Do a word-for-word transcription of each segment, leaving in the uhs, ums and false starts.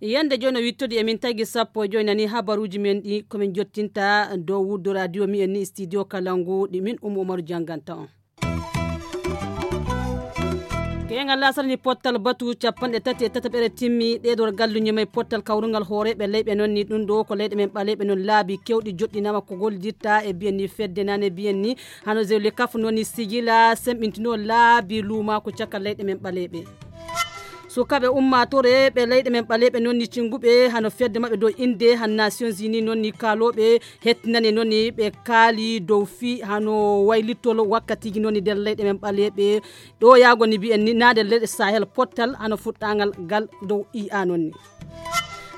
Yande jooni o wittodi e min tagi sappo e joyi nani habaruuji men ɗi ko min jottinta dow wuddu radio mi en ni studio Kalangu ɗi min Umu Umaru jannganta on. Keyngal laasara ni pottal batu capanɗe tati e tataɓere timmi ɗeɗor galluñe may pottal kawrungal hooreeɓe leyɓe noon ni ɗum ɗo ko leyɗe men ɓaleeɓe noon laabi kewɗi joɗɗinama ko gollidirta e biyen ni fedde nane biyen ni hano zewle kaf noon ni sigila semɓintino laabi luuma ko caka leyɗe men ɓaleeɓe. Sukaaɓe ummaatore ɓe leyɗe men ɓaleeɓe noon ni cinguɓe hano fedde maɓɓe dow innde han Nations Unies noon ni kaalooɓe hettinane noon ni ɓe kaali dow fii hano waylitol wakkatiiji noon ni nder leyɗe men ɓaleeɓe ɗo yaago ni mbiyen ni naa nder leyɗe Sahel pottal hano fuɗɗaangal ngal dow I A noon ni.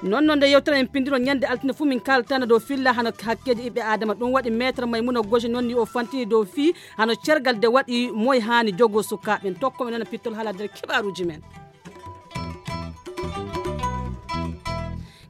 Noon noon nde yewtere en pinndiro ñande altine fuu min kaaltana dow filla hano hakkeeji ɓiɓɓe Aadama ɗum waɗi maître Maymuna Goje noon ni o fantini dow fii hano cergal de waɗi moy haani jogo sukaaɓe en tokko men noon pittol haala nder kibaaruuji men.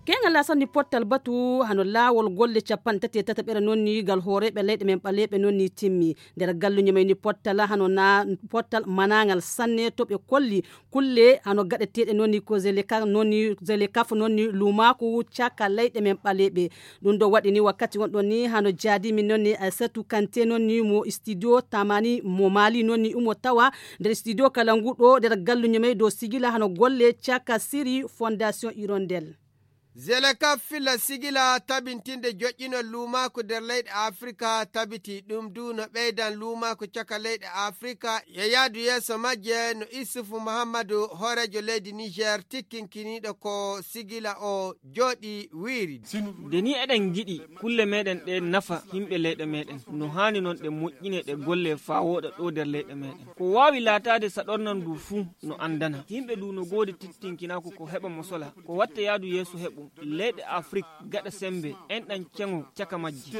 Keyngal laasani pottal batu hano laawol golle capanɗe tati e tataɓere noon ni gal hooreeɓe leyɗe men ɓaleeɓe noon ni timmi nder galluñe may ni pottal hano na pottal manaangal sanne to ɓe kolli kulle hano gaɗeteeɗe noon ni ko zeleka noon ni zelekaf noon ni luumaaku caka leyɗe men ɓaleeɓe. Ɗum ɗo waɗi ni wakkati wonɗon ni hano jaadi min noon ni Aissatou Kanté noon ni mo studio Tamani mo Mali noon ni umo tawa nder studio kala ngu ɗo nder galluño may dow sigila hano golle caka siri Fondation Hirondelle. Zelekaf filla sigila tabintinde joƴƴinol luumaaku nder leyɗe Afrika tabiti ɗum du no ɓeydan luumaaku caka leyɗe Afrika e yaadu yeeso majje no Issoufou Mahamadou hooreejo leydi Niger tikkinkiniiɗo ko sigila o jooɗi wiiri. Nde ni eɗen ngiɗi kulle meɗen ɗe nafa yimɓe leyɗe meɗen, no haani noon ɗe moƴƴine ɗe golle faa wooɗa ɗo nder leyɗe meɗen. Ko waawi laataade saɗornan ndu fuu no anndana. Yimɓe ndu no goodi tittinkinaaku ko heɓa mo sola, ko watta yaadu yeeso heɓu. Leyɗe Afrik gaɗa semmbe, enɗan ceŋo caka majji.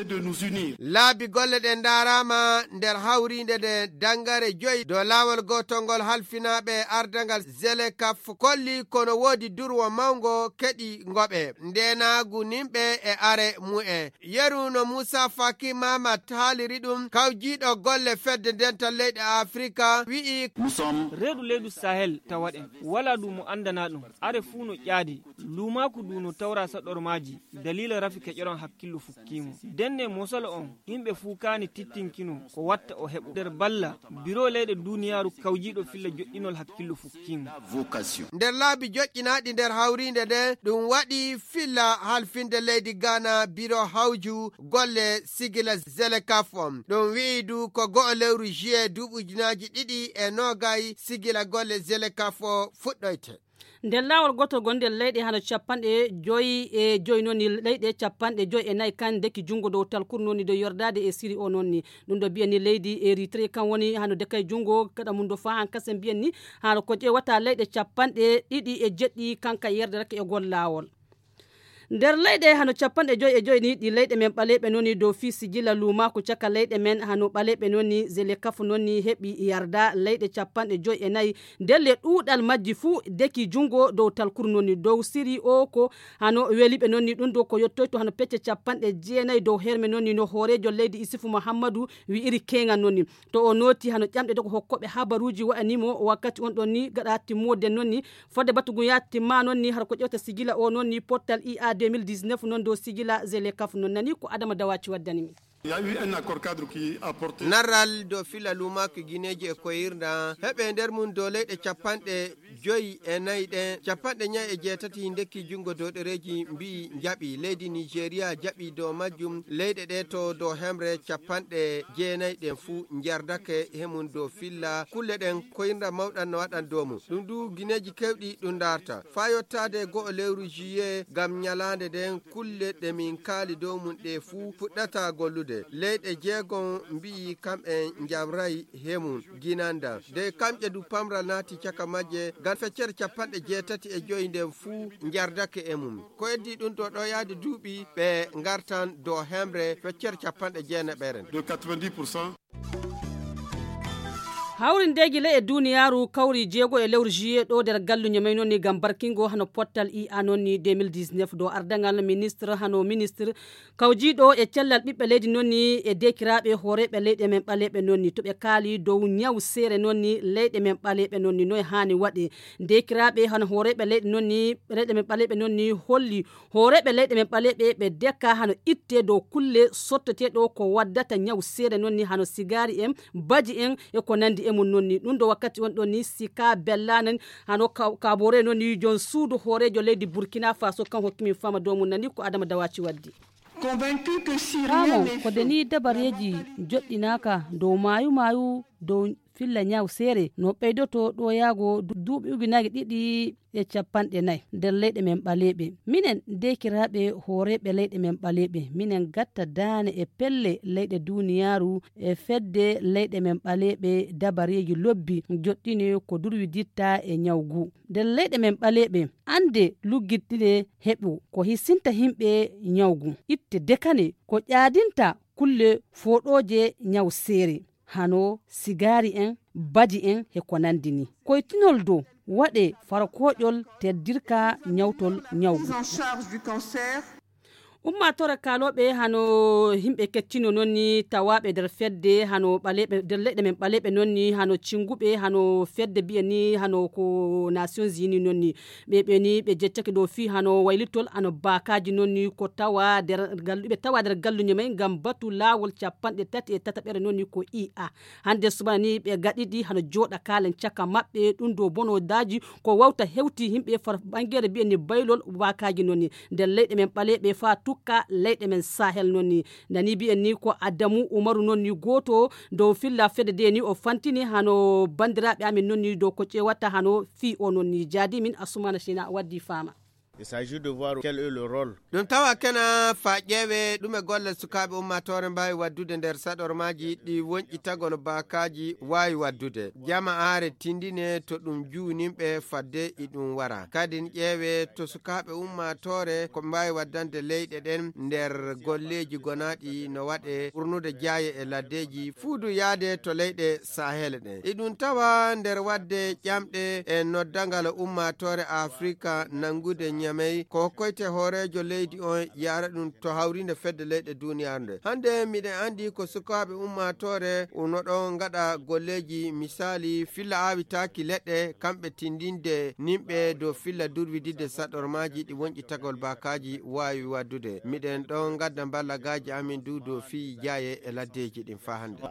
Laabi golle ɗe ndaaraama nder hawriinde nde danngare joyi dow laawol gootol ngol halfinaaɓe ardangal Zelekaf kolli kono woodi durwo mawngo keɗi ngoɓe ndeenaagu nimɓe e are mu'en. Yeru no Muusa Faki Mamat haaliri ɗum, kawjiiɗo golle fedde dental leyɗe Afrika wi'i. Reedu leydu Sahel tawaɗen, walaa ɗum mo anndanaa ɗum. Are fuu no ƴaadi, luumaaku ndu no tawra saɗormaaji, daliila rafi keƴoran hakkillo fukkiimo. Denne mosolo on, yimɓe fuu kaani tittinkino ko watta o heɓu. Nder balla, biro leyɗe duuniyaaru kawjiiɗo filla joƴƴinol hakkillo fukkiimo. Nder laabi joƴƴinaaɗi nder hawriinde nde, ɗum waɗi filla halfinde leydi Ghana biro hawju golle sigila Zelekaf on. Ɗum wi'i du ko go'o lewru juillet duuɓi ujunaaji ɗiɗi e noogay sigila golle Zelekaf o fuɗɗoyte. Nder laawol gootol gon nder leyɗe hano capanɗe joyi e joyi noon ni leyɗe capanɗe joyi e nayi kan ndeki junngo dow talkuru noon ni dow yordaade e siri o noon ni. Ɗum ɗo mbiya ni leydi Eritrea kan woni hano dekay junngo kaɗa mum do faa han kasen mbiyen ni hano ko ƴeewata leyɗe capanɗe ɗiɗi e jeɗɗi kanka yerdetake e gol laawol. Nder leyɗe hano capanɗe joyi e joyi ni ɗi leyɗe men ɓaleeɓe noon ni dow fii sigila luumaaku caka leyɗe men hano ɓaleeɓe noon ni zelekaf noon ni heɓi yarda leyɗe capanɗe joyi e nayi ndelle ɗuuɗal majji fuu deki junngo dow talkuru noon ni dow siri o ko hano weliɓe noon ni ɗum ɗo ko yottoyto hano pecce capanɗe jeenayi dow herme noon ni no hooreejo leydi Isufu Muhammadu wi'iri keeŋan noon ni. To o nooti hano ƴamɗe dogo hokkooɓe habaruuji wa'ani mo wakkati on ɗon ni gaɗa timmoode noon ni fodde batu ngun yaa timma noon ni hara ko ƴewta sigila o noon ni pottal I A deux mille dix-neuf noon dow sigila zelekaf noon nani ko Adama Dawaci waddani min. Narral dow fila luumaaki gineeji e koyirna heɓe nder mum dow leyɗe capanɗe joyi e nayi ɗen capanɗe ñayi e jeetati ndekki junngo dow ɗereeji mbi'i njaɓi leydi Nigeria jaɓi dow majjum leyɗe ɗe to dow hemre capanɗe jeenayi ɗen fuu njardake he mum dow filla kulle ɗen koyirna mawɗan no waɗan dow mum ɗum du gineeji kewɗi ɗum ndaarta faa yottaade go'o lewru juillet ngam ñalaande nden kulle ɗe min kaali dow mum ɗe fuu puɗɗata gollude leyɗe jeegom mbi'i kam'en njamray he mum ginanda de kamƴe du pamral naati caka majje ngam feccere capanɗe jeetati e joyi nden fuu njardake e mum ko eddi ɗum to ɗo yaade duuɓi ɓe ngartan dow hemre feccere capanɗe jeenaɓeren. Hawrindeeji ley e duuniyaaru kawri jeego e lewru juillet ɗo nder galluñe may noon ni ngam barkingo hano pottal ia noon ni deux mille dix-neuf ɗo ardangal ministre hano ministre kawjiiɗo e cellal ɓiɓɓe leydi noon ni e deekiraaɓe hooreeɓe leyɗe men ɓaleeɓe noon ni to ɓe kaali dow ñaw seere noon ni leyɗe men ɓaleeɓe noon ni noye haani waɗe. Deekiraaɓe hano hooreeɓe leyɗe noon ni leyɗe men ɓaleeɓe noon ni holli hooreeɓe leyɗe men ɓaleeɓe ɓe deka hano itte dow kulle sotteteeɗo ko waddata ñaw seere noon ni hano sigaari en baji en e ko nanndi e mum noon ni ɗum ɗo wakkati on ɗon ni si ka bellaanan hano kaboore noon ni jon suudu hooreejo leydi burkina faso kan hokki min fama dow mum nani ko adama dawaci waddi. Kamo ko deni dabareeji joɗɗinaaka dow maayu maayu dow filla ñaw seere no ɓeydoto ɗoyaago duuɓi ujunaaji ɗiɗi e capanɗe nayi nder leyɗe men ɓaleeɓe. Minen deekiraaɓe hooreeɓe leyɗe men ɓaleeɓe minen gatta daane e pelle leyɗe duuniyaaru e fedde leyɗe men ɓaleeɓe dabareeji lobbi joɗɗini ko durwiditta e ñaw ngu nder leyɗe men ɓaleeɓe annde luggitɗine heɓo ko hisinta yimɓe ñaw ngu itte dekane ko ƴaadinta kulle fooɗooje ñaw seere hano sigaari en baji en e ko nanndi ni koytinol dow waɗe farkooƴol teddirka ñawtol ñaw ngu. Ummaatoore kaalooɓe hano yimɓe keccino noon ni tawaaɓe nder fedde hano ɓaleeɓe nder leyɗe men ɓaleeɓe noon ni hano cinnguɓe hano fedde mbiyen ni hano ko nations unis noon ni ɓe ɓe ni ɓe jeccake ɗo fii hano waylitol hano baakaaji noon ni ko tawa nder galluɓe tawa nder galluñe may ngam batu laawol capanɗe tati e tataɓere noon ni ko ia hannde subana ni ɓe gaɗiɗi hano jooɗa kaalen caka maɓɓe ɗum ɗo bonodaaji ko wawta hewti yimɓe far ɓangere mbiyen ni baylol baakaaji noon ni nder leyɗe men ɓaleeɓe faa tukka leyɗe men sahel noon ni nani mbiyen ni ko adamu umaru noon ni gooto dow filla fedde de ni o fantini hano banndiraaɓe amen noon ni dow ko ƴeewata hano fii o noon ni jaadi min asumana sina waddi faama. Il s'agit de voir quel est le rôle. Ɗum tawa kena fa ƴeewe ɗume golle sukaaɓe ummaatoore mbaawi waddude nder saɗormaaji ɗi wonƴitagol baakaaji waawi waddude jama aare tindine to ɗum juuninɓe fadde iɗum wara kadin ƴeewe to sukaaɓe ummaatoore ko mbaawi waddande leyɗe ɗen nder golleeji gonaaɗi no waɗe ɓurnude jaaye e laddeeji fuudu yaade to leyɗe sahel ɗen iɗum tawa nder wadde ƴamɗe e noddangal ummaatoore afrika nanngude ñamey ko hokkoyte hooreejo leydi on yaara ɗum to hawriinde fedde leyɗe duuniyaaru nde hannde miɗen anndi ko sukaaɓe ummaatoore no ɗon ngaɗa golleeji misaali filla aawitaaki leɗɗe kamɓe tindinde nimɓe dow filla durwididde saɗormaaji ɗi wonƴitagol baakaaji waawi waddude miɗen ɗon ngadda mballagaaji amin du dow fii jaaye e laddeeji ɗin faa hannde.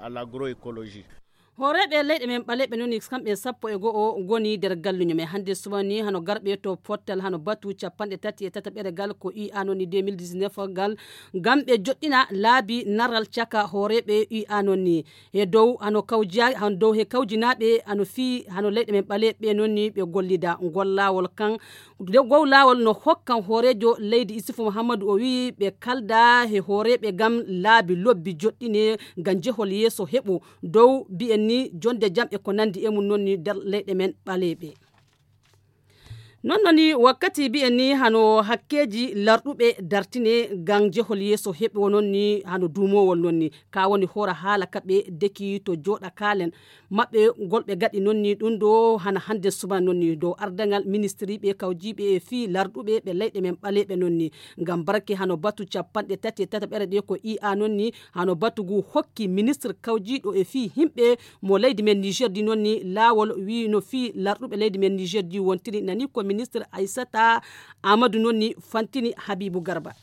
Hooreeɓe leyɗe men ɓaleeɓe noon ni kamɓe sappo e go'o ngoni nder galluño men hannde subaka ni hano garɓe to pottal hano batu capanɗe tati e tataɓere gal ko ia noon ni deux mille dix-neuf gal ngam ɓe joɗɗina laabi naral caka hooreeɓe ia noon ni e dow hano kawjiya hano dow he kawjinaaɓe hano fii hano leyɗe men ɓaleeɓe noon ni ɓe gollida ngol laawol kan dow laawol no hokkan hooreejo leydi isufu muhammadu o wii ɓe kalda he hooreeɓe ngam laabi lobbi joɗɗine ngam jehol yeeso heɓo dow mbiyen ni jonde jam e ko nanndi e mum noon ni nder leyɗe men ɓaleeɓe. Noon noon ni wakkati mbiyen ni hano hakkeeji larɗuɓe dartine ngam jehol yeeso heɓo noon ni hano duumowol noon ni ka woni hoora haala kaɓe deki to jooɗa kaalen maɓɓe ngol ɓe gaɗi noon ni ɗum ɗo hana hannde subana noon ni dow ardagal ministiriiɓe kawjiiɓe e fii larɗuɓe ɓe leyɗe men ɓaleeɓe noon ni ngam barke hano batu capanɗe tati e tataɓere ɗe ko ia noon ni hano batu ngu hokki ministre kawjiiɗo e fii yimɓe mo leydi men niger di noon ni laawol wii no fii larɗuɓe leydi men niger di wontiri nani ko ministre aissata amadou noon ni fantini habibu garba.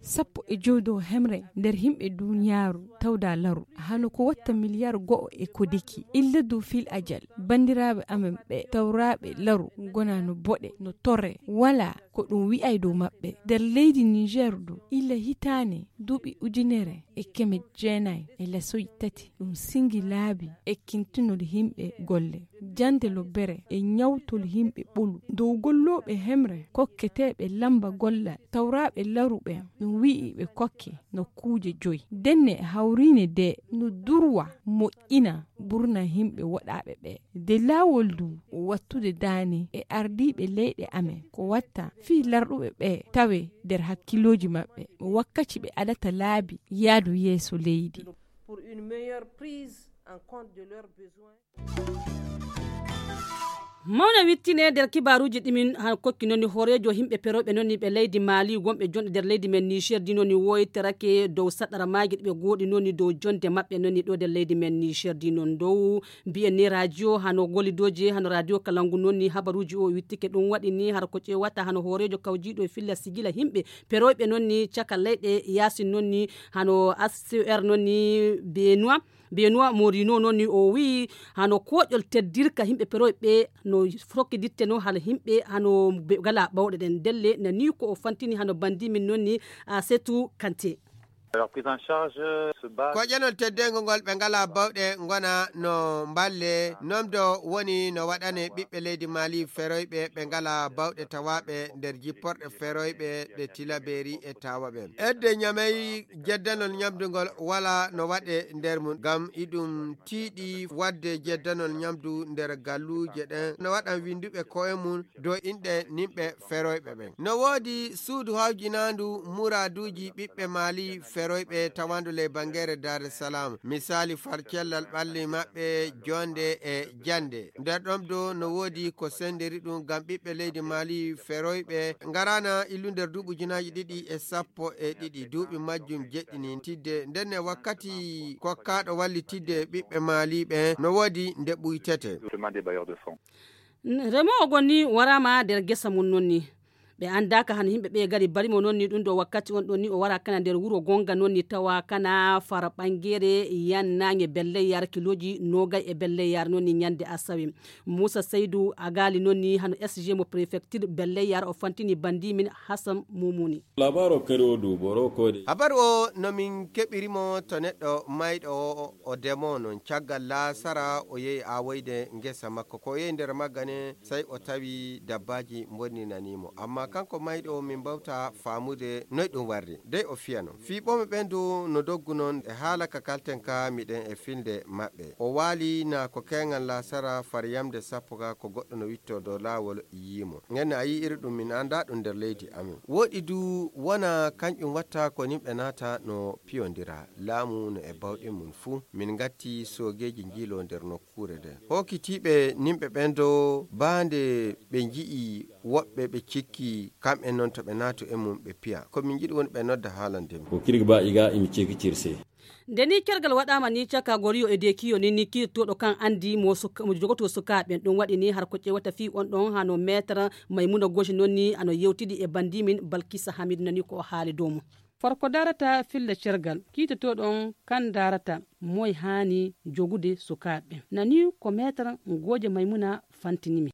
Sappo e jowi dow hemre nder yimɓe duniyaaru tawda laru hano ko watta miliyar go'o e ko deki illa dow fil ajal banndiraaɓe amen ɓe tawraaɓe laru ngona no boɗe no torre wala ko ɗum wi'ay dow maɓɓe nder leydi niger du illa hitaane duuɓi ujunere e keme jeenay e lasoy tati ɗum singi laabi e kintinol yimɓe golle jande lobbere e ñawtol yimɓe ɓolu dow gollooɓe hemre kokketeeɓe lamba gollal tawraaɓe laruɓe ɗum wi'i ɓe kokke nokkuuje joyi denne hawriine de no durwa moƴƴina burna yimɓe woɗaaɓe ɓe de laawol du wattude daane e ardiiɓe leyɗe amen ko watta fii larɗuɓe ɓe tawe nder hakkillooji maɓɓe wakkaci ɓe adata laabi yaadu yeeso leydi. Pour une meilleure prise en compte de leurs besoins. Mawna wittine nder kibaaruuji ɗimin han kokki noon ni hooreejo yimɓe perooɓe noon ni ɓe leydi Maali wonɓe jonɗe nder leydi men Niger di noon ni woyterake dow saɗɗara maaji ɗi ɓe gooɗi noon ni dow jonde maɓɓe noon ni ɗo nder leydi men Niger di noon dow mbiyen ni radio hano gollidooji hano radio kalangu noon ni habaruuji o wittike ɗum waɗi ni hara ko ƴeewata hano hooreejo kawjiiɗo e filla sigila yimɓe perooɓe noon ni caka leyɗe yaasin noon ni hano H C R noon ni Benoit Benoit Morino noon ni o wiyi hano koƴol teddirka yimɓe perooɓe ɓe no fokkiditte no hala yimɓe hano ɓe gala ɓawɗe ɗen ndelle nani ko o fantini hano bandi min noon ni a setu kante. Alors, prise en charge se base. Koƴanol teddeengo ngol ɓe ngalaa bawɗe ngona no mballe nomdo woni no waɗane ɓiɓɓe leydi Maali feroyɓe ɓe ngalaa bawɗe tawaaɓe nder jipporɗe feroyɓe ɗe Tilaberi e Tawa ɓen. Edde ñamey jeddanol ñamdugol wala no waɗe nder mum ngam iɗum tiiɗi waɗde jeddanol ñamdu nder galluuje ɗen no waɗan winnduɓe koye mum dow inɗe nimɓe feroyɓe ɓen. No woodi suudu hawjinaandu muraaduuji ɓiɓɓe Maali feroyɓe tawandu ley bangeere Dar es Salaam, misaali far cellal ɓalli maɓɓe jonde e jande. Nder ɗon do no woodi ko senderi ɗum ngam ɓiɓɓe leydi Maali feroyɓe ngaraana illu nder duuɓi ujunaaji ɗiɗi e sappo e ɗiɗi, duuɓi majjum jeɗɗini tidde. Ndenne wakkati kokkaaɗo wallitidde ɓiɓɓe Maali ɓe no woodi nde ɓuytete. Demande des bailleurs de fonds. N-, remoowo gonni waraama nder gesa mum noon ni. Ɓe anndaaka hano yimɓe ɓe gari barimo noon ni ɗum ɗo wakkati on ɗon ni o wara kana nder wuro gonga noon ni tawa kana fara ɓangere yan naange belleyar kilooji noogay e belleyar noon ni ñande asawe. Muusa Saydu Agaali noon ni hano S G mo prefecture belleyar o fantini bandi min Hasan Mumuni. Labaaro kadi o du boro koode. Habaru o no min keɓiri mo to neɗɗo mayɗo o, o demo noon caggal laasara o yehi awoyde ngesa makko. Ko o yehi nder magga ne, sey o tawi dabbaaji mbonninanii mo. Ammaa kanko mayɗo o, min mbawta faamude noy ɗum warri. Dey o fiya noon. Fii ɓoomi ɓen du no doggu noon e haala ka kalten ka miɗen e filnde maɓɓe. O waali na ko keeŋan laasara far yamde sappo ka ko goɗɗo no wittoo dow laawol yii mo. Ngenne a yii iri ɗum min anndaa ɗum nder leydi amin. Woɗi du wona kanƴum watta ko nimɓe naata no piyondira. Laamu no e bawɗe mum fuu. Min ngatti soogeeji njiiloo nder nokkuure nden. Hookitiiɓe nimɓe ɓen do baa nde ɓe nji'i woɓɓe ɓe cikki kamɓe noon to ɓe naatu e mum ɓe piya. Ko min njiɗi woni ɓe nodda haalande min. Ko kirga ba iga imi ceki cirse. Nde ni kergal waɗaama ni caka goriyo e dekiyo ni ni kiirtooɗo kan anndi mo suka-, mo jogotoo sukaaɓe ɓen. Ɗum waɗi ni har ko ƴeewata fii on ɗon hano meetar Maymuna Goji noon ni ano yewtidi e bandi min Balkisa Hamid nani ko o haali dow mum. Farko darata filla cergal kiitotooɗo on kan darata moy haani jogude sukaaɓe ɓen. Nani ko meetar Goji Maymuna fantinimi.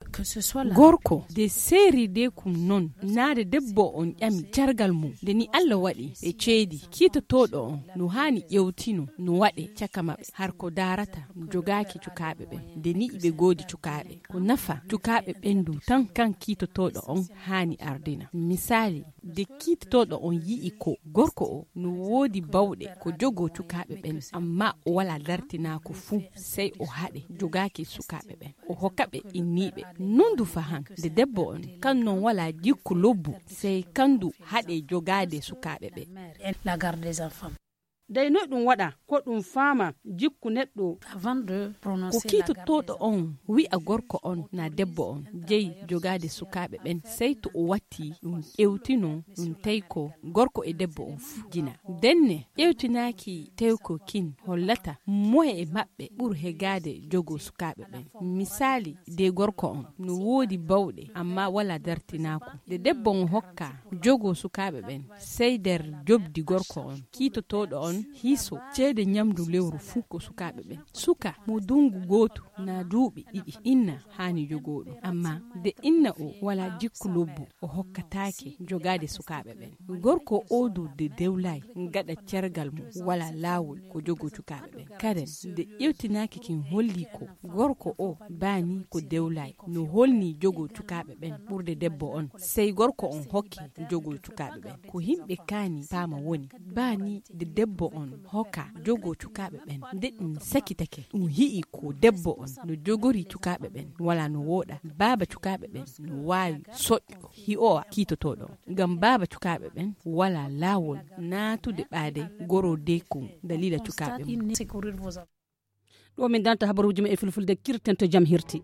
Gorko de seeri de kum non naade debbo on ƴami cargal mum nde ni Allah waɗi ɓe ceedi kiitotooɗo on no haani ƴewtino no waɗe caka maɓɓe har ko daarata jogaaki cukaaɓe ɓen nde ni iɓe goodi cukaaɓe ko nafa cukaaɓe ɓen du tan kan kiitotooɗo on haani ardina misaali de kiitotooɗo on yi'i ko gorko o no woodi bawɗe ko jogoo cukaaɓe ɓen amma o wala dartinaako fuu sey o haɗe jogaaki sukaaɓe ɓen o hokka ɓe inniiɓe nundu fahan nde debbo on kan non wala jikku lobbu sey kandu haɗe jogaade sukaaɓe ɓen. Dey noy ɗum waɗa ko ɗum faama jikku neɗɗo. Ko kiitotooɗo on wi'a gorko on na debbo on jeyi jogaade sukaaɓe ɓen sey to o watti ɗum ƴewtino ɗum tawi ko gorko e debbo on fuu jina ndenne ƴewtinaaki tewko kin hollata moye e maɓɓe ɓur hegaade jogoo sukaaɓe ɓen misaali de gorko on no woodi bawɗe amma wala dartinaako nde debbo on hokka jogoo sukaaɓe ɓen sey nder jobdi gorko on kiitotooɗo on hiiso ceede ñamdu lewru fuu ko sukaaɓe ɓen suka mo dungu gootu na duuɓi ɗiɗi inna haani jogoo ɗum amma de inna o wala jikku lobbu o hokkataake jogaade sukaaɓe ɓen gorko o du de dewlaay gaɗa cergal mum wala laawol ko jogoo cukaaɓe ɓen kaden de ƴewtinaaki kin holli ko gorko o baani ko dewlaay no holni jogoo cukaaɓe ɓen ɓurde debbo on sey gorko on hokki jogoo cukaaɓe ɓen ko himɓe kaani paama woni baani de debbo on hokka jogoo cukaaɓe ɓen nde ɗum sakitake ɗum hi'i ko debbo on no jogori cukaaɓe ɓen wala no wooɗa baaba cukaaɓe ɓen no waawi soƴƴo hi'owa kiitotooɗo on ngam baaba cukaaɓe ɓen wala laawol naatude ɓaade goro deekun dalila cukaaɓe mum. Ɗo min danta habaruuji ma e fulfulde, kirten to jam hirti.